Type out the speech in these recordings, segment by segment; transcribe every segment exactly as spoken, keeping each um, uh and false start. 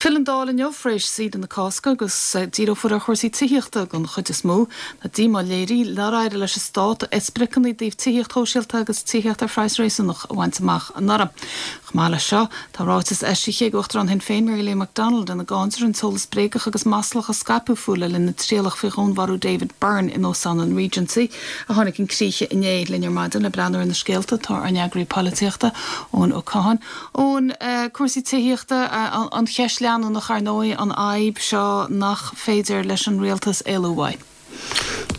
Filleann an Dáil inniu tar éis saoire na Cásca agus díreofar ar chúrsaí tithíochta den chuid is mó. Tá díomá léirithe nár éirigh leis an stát a spriocanna i dtaobh tithíocht shóisialta agus tithíocht ar phraghas réasúnach a bhaint amach anuraidh. Chomh maith leis seo tá ráiteas eisithe ag Uachtarán Shinn Féin Mary Lou McDonald ina gcáintear an t-eolas bréagach agus maslach a scaipeadh fúithi le linn na trialach faoi dhúnmharú David Byrne in Óstán an Regency a tháinig chun críche inné. Linn ar maidin le breathnú ar na scéalta tá ár n-eagraí polaitíochta Eoin Ó Catháin. Eoin uh, cúrsaí tithíochta uh, an cheist leanúnach ar ndóigh an fhadhb seo nach féidir leis an rialtas éalú uaidh.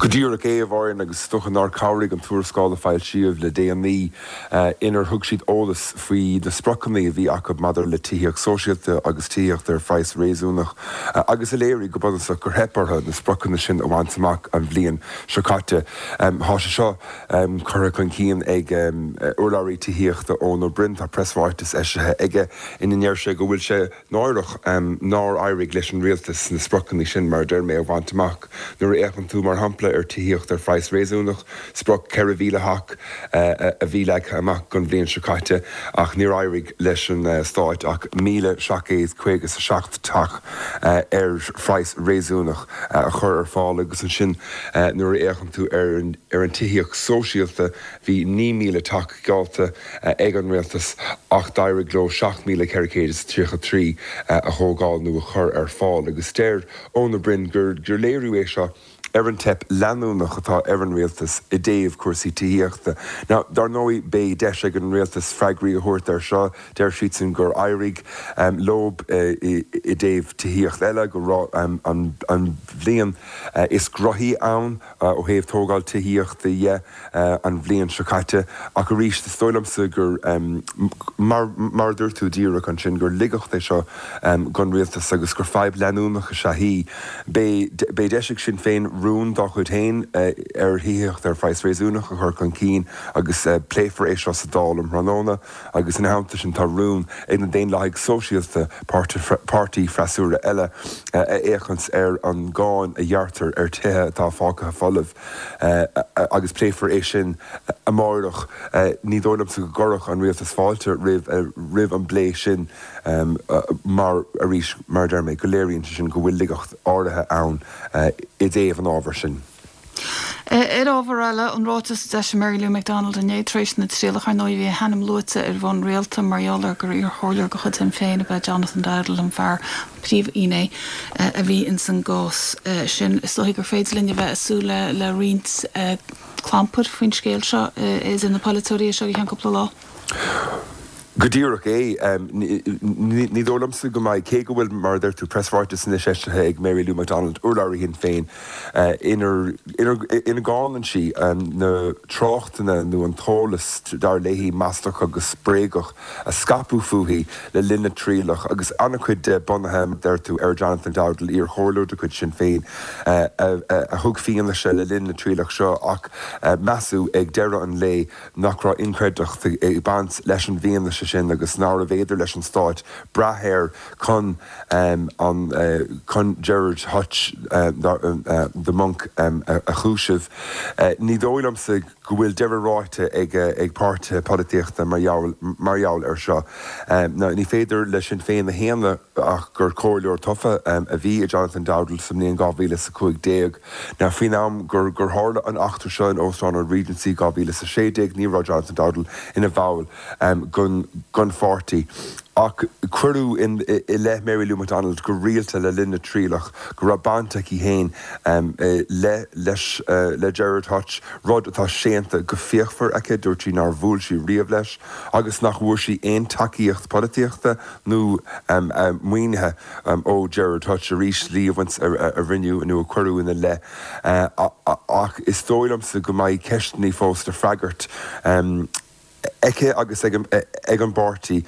Go díreach é a Mháirín agus is dócha nár chabhraigh an tuarascáil a foilsíodh le déanaí uh, inar thug siad eolas faoi na spriocanna a bhí acu maidir le tithíocht sóisialta agus tithíocht ar phraghas réasúnach uh, agus a léirigh go bunúsach gur theip orthu na spriocanna sin a bhaint amach an bhliain seo caite. Um, Tá sé seo um, curtha chun cinn ag um, urlabhraí tithíochta Eoin Ó Broin tá preasráiteas eisithe aige ina ndeir sé go bhfuil sé náireach um, nár éirigh leis an rialtas na spriocanna sin mar deir mé a bhaint amach nuair a fhéachann tú mar shampla ar tithíocht ar phraghas réasúnach sprioc ceithre mhíle teach a bhí leagtha amach don bhliain seo caite ach níor éirigh leis an stát ach míle seacht gcéad caoga a seacht teach ar phraghas réasúnach a chur ar fáil agus ansin nuair a fhéachann tú ar ar an tithíocht sóisialta bhí naoi míle teach geallta ag an rialtas ach d'éirigh leo seacht míle ceithre chéad is tríocha trí a thógáil nó a chur ar fáil agus deir Eoin Ó Broin gur gur léiriú é seo ar an teip leanúnach atá ar an rialtas i dtaobh cúrsaí tithíochta. Now dar ndóigh beidh deis ag an rialtas freagraí a thabhairt ar seo deir siadsan gur éirigh um, leo uh, i, i dtaobh tithíocht eile go raibh um, an, an bhliain uh, is gnoithí ann uh, ó thaobh tógáil tithíochta dhe uh, an bhliain seo caite ach arís is dóigh liomsa gur um, mar, mar dúirt tú díreach ansin gur ligeacht é seo um, don rialtas agus gur fadhb leanúnach is ea í. Beidh deis ag Sinn Féin rún dá chuid féin uh, ar thithíocht ar phraghas réasúnach a chur chun cinn agus uh, pléifear é seo sa Dáil um thráthnóna agus ina theannta sin tá rún ag na Daonlathaigh Sóisialta páirtí freasúra eile uh, a fhéachaint ar an gcáin a ghearrtar ar tithe atá fágtha folamh uh, agus pléifear é sin amárach uh, ní dóigh liomsa go gcuirfeadh an rialtas fáilte roimh uh, roimh an bplé sin um, uh, mar arís mar deir mé go léiríonn sin go bhfuil ligeacht áirithe ann uh, i dtaobh an ábhar sin. Ar ábhar eile an ráiteas d'eisigh Mary Lou McDonald inné tar éis na trialach ar ndóigh bhí a hainm luaite ar bhonn rialta mar gheall ar gur iarchomhairleoir de chuid Shinn Féin ab ea Jonathan Dowdall an fear príomhfhinné a bhí in san gcás sin is dóigh gur féidir linn a bheith ag súil le le roinnt clampair faoin scéal seo idir na polaiteoirí seo i gceann cúpla lá. Go díreach é ní dóigh liomsa go mbeidh cé go bhfuil mar deir tú preasráiteas anois eisithe ag Mary Lou McDonald urlabhraí Shinn Féin inar ina gcáineann sí na tráchtanna nó an t-eolas dar léi maslach agus bréagach a scaipeadh fúithi le linn na trialach agus an-chuid de bunaithe deir tú ar Jonathan Dowdall iarchomhairleoir de chuid Sinn Féin a thug fianaise le linn na trialach seo ach measadh ag deireadh an lae nach raibh inchreidteacht ag baint leis an bhfianaise sin agus nárbh fhéidir leis an stát brath air chun um, an uh, chun Gerard Hutch uh, uh, the monk um, a, a chúiseamh. Uh, ní dóigh liomsa go bhfuil deireadh ráite ag ag páirtithe polaitíochta mar gheall ar seo. Um, ná, ní féidir leis Sinn Féin a shéanadh ach gur comhairleoir tofa um, a bhí i Jonathan Dowdall sa mbliain dhá mhíle sa cúig déag. Na faoin am gur gur tharla an eachtra seo in Óstán an Regency dhá mhíle sa sé déag ní raibh Jonathan Dowdall ina bhall um, den den pháirtí. Ach cuireadh in i leith Mary Lou McDonald go rialta le linn na trialach go raibh baint aici féin um, le leis uh, le Gerard Hutch rud atá séanta go fíochmhar aici dúirt sí nár bhuail sí riamh leis agus nach bhfuair sí aon tacaíocht polaitíochta nó um, um, maoinithe um, ó Gerard Hutch arís líomhaint a, a, a rinneadh nó a cuireadh ina leith uh, ach is dóigh liomsa go mbeidh ceisteanna fós le freagairt um, aici agus ag ag an bpáirtí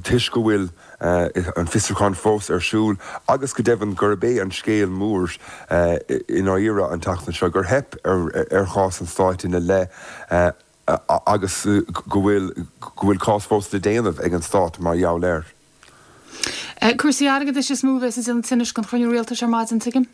toisc go bhfuil an fiosrúchán fós ar siúl agus go deimhin gurb é an scéal mór i ndáiríre an tseachtain seo gur theip ar ar chás an stáit ina leith agus go bhfuil go bhfuil cás fós le déanamh ag an stát mar gheall air. Cúrsaí airgeadais is mó a bheas ag déanamh tinnis don chruinniú rialtais ar maidin tuigim?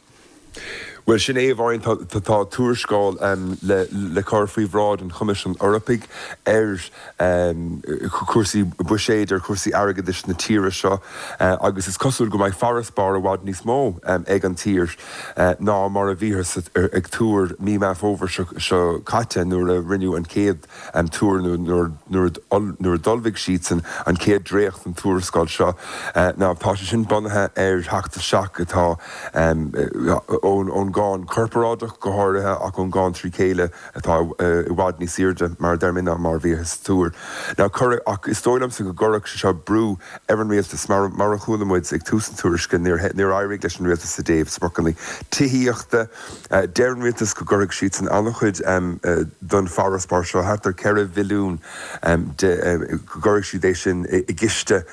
Well sin é bhain tá tuarascáil um, le, le cur faoi bhráid an Choimisiúin Eorpaigh ar um, cúrsaí buiséid ar cúrsaí airgeadais na tíre seo uh, agus is cosúil go mbeidh farasbarr i bhfad níos mó um, ag an tír uh, ná mar a bhíothas ag tuar mí Meán Fómhair seo caite nuair a rinneadh an chéad um, tuar nuair a d'ullmhaigh siadsan an chéad dréacht den tuarascáil seo uh, ná tá sé sin bunaithe ar theacht isteach atá um, ón ón gcáin chorparáideach go háirithe ach ón gcáin trí chéile atá i bhfad níos airde mar deir mé ná mar a bhíothas ag tuar. Now cur ach is dóigh liomsa go gcuirfeadh sé seo brú ar an rialtas mar mar a chuala muid ag tús an tuairisce níor éirigh leis an rialtas i dtaobh spriocanna tithíochta deir an rialtas go gcuirfidh siadsan an-chuid don farasbarr seo thart ar ceithre bhilliún go gcuirfidh siad é sin i gciste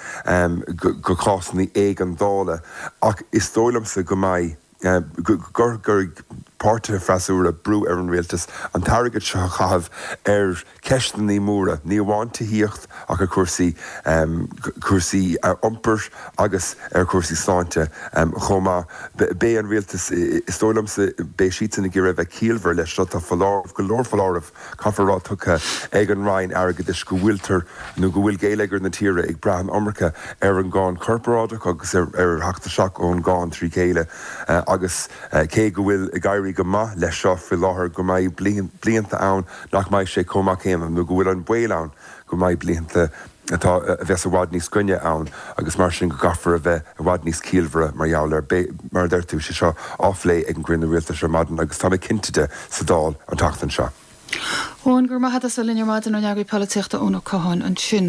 go cásanna éigeandála ach is dóigh liomsa go mbeidh go gcuirfidh páirtithe freasúra brú ar an rialtas an t-airgead seo a chaitheamh ar cheisteanna móra, ní amháin tithíocht ach ar chúrsaí cúrsaí iompair agus ar chúrsaí sláinte chomh maith. Beidh an rialtas is dóigh liomsa beidh siadsan ag iarraidh bheith ciallmhar leis seo tá foláireamh go leor foláireamh caithfear a rá tugtha ag an Roinn Airgeadais go bhfuiltear nó go bhfuil geilleagar na tíre ag brath an iomarca ar an gcáin chorparáideach agus ar theacht isteach ón gcáin trí chéile agus cé go bhfuil ag éirí go maith leis seo faoi láthair go mbeidh blianta ann nach mbeidh sé chomh maith céanna nó go bhfuil an baol ann go mbeidh blianta atá a bheas i bhfad níos gainne ann agus mar sin go gcaithfear a bheith i bhfad níos ciallmhaire mar gheall air. Beidh, mar a deir tú, sé seo á phlé ag an gcruinniú rialtais ar maidin agus tá mé cinnte de sa Dáil an tseachtain seo. Eoin, go raibh maith agat as a bheith linn ar maidin ár n-eagraí polaitíochta Eoin Ó Catháin ansin.